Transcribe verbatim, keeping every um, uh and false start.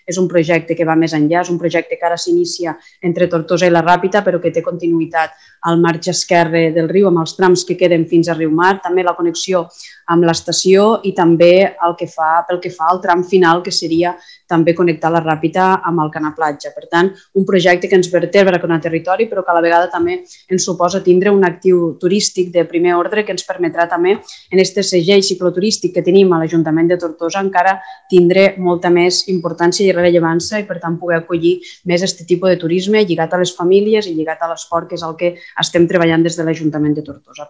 és un projecte que va més enllà, és un projecte que ara s'inicia entre Tortosa i la Ràpita, però que té continuïtat al marge esquerre del riu, amb els trams que queden fins a Riumar, també la connexió amb l'estació i també el que fa, pel que fa al tram final, que seria també connectar la Ràpita amb el Canà Platja. Per tant, un projecte que ens vertebra com a territori, però que a la vegada també ens suposa tindre un actiu turístic de primer ordre que ens permetrà també, en aquest segell cicloturístic que tenim a l'Ajuntament de Tortosa, encara tindre molta més importància i rellevància i, per tant, poder acollir més aquest tipus de turisme lligat a les famílies i lligat a l'esport, que és el que estem treballant des de l'Ajuntament de Tortosa.